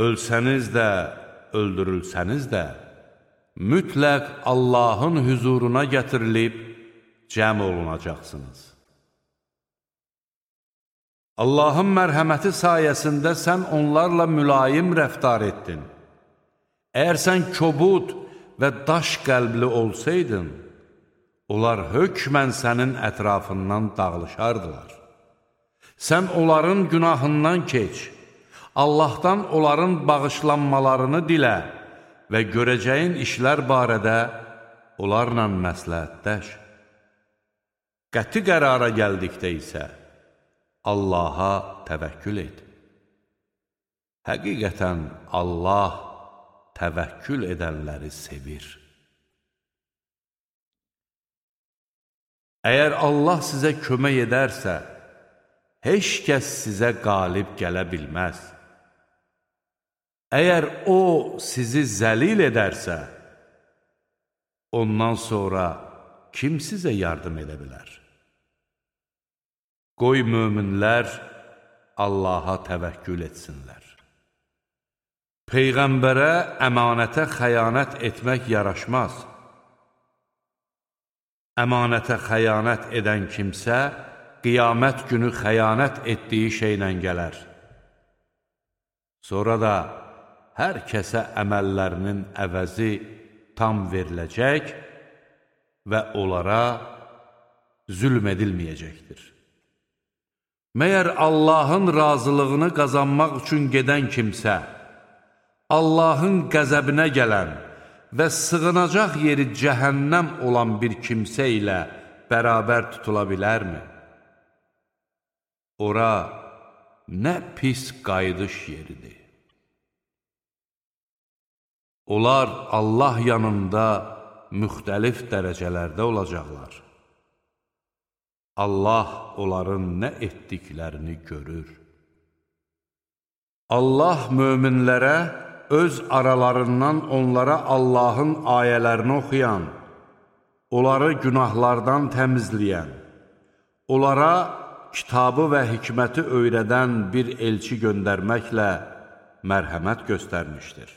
ölsəniz də, öldürülsəniz də, mütləq Allahın hüzuruna gətirilib cəm olunacaqsınız. Allahın mərhəməti sayəsində sən onlarla mülayim rəftar etdin. Əgər sən kobud və daş qəlbli olsaydın, onlar hökmən sənin ətrafından dağılışardılar. Sən onların günahından keç, Allahdan onların bağışlanmalarını dilə və görəcəyin işlər barədə onlarla məsləhətləş. Qəti qərara gəldikdə isə Allaha təvəkkül et. Həqiqətən Allah təvəkkül edənləri sevir. Əgər Allah sizə kömək edərsə, heç kəs sizə qalib gələ bilməz. Əgər O sizi zəlil edərsə, ondan sonra kim sizə yardım edə bilər? Qoy möminlər Allaha təvəkkül etsinlər. Peyğəmbərə əmanətə xəyanət etmək yaraşmaz. Əmanətə xəyanət edən kimsə, qiyamət günü xəyanət etdiyi şeylə gələr. Sonra da hər kəsə əməllərinin əvəzi tam veriləcək və onlara zülm edilməyəcəkdir. Məyər Allahın razılığını qazanmaq üçün gedən kimsə, Allahın qəzəbinə gələn və sığınacaq yeri cəhənnəm olan bir kimsə ilə bərabər tutula bilərmi? Ora nə pis qayıdış yeridir. Onlar Allah yanında müxtəlif dərəcələrdə olacaqlar. Allah onların nə etdiklərini görür. Allah möminlərə öz aralarından onlara Allahın ayələrini oxuyan, onları günahlardan təmizləyən, onlara kitabı və hikməti öyrədən bir elçi göndərməklə mərhəmət göstərmişdir.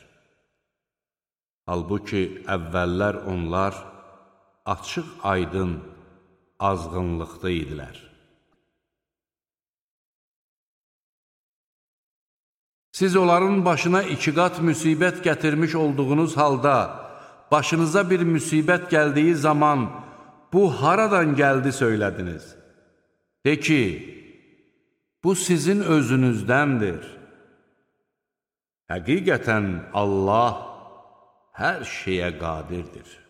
Halbuki əvvəllər onlar açıq aydın azğınlıqda idilər. Siz onların başına 2 qat müsibət gətirmiş olduğunuz halda, başınıza bir müsibət gəldiyi zaman, bu haradan gəldi söylədiniz? De ki, bu sizin özünüzdəndir. Həqiqətən Allah hər şeyə qadirdir.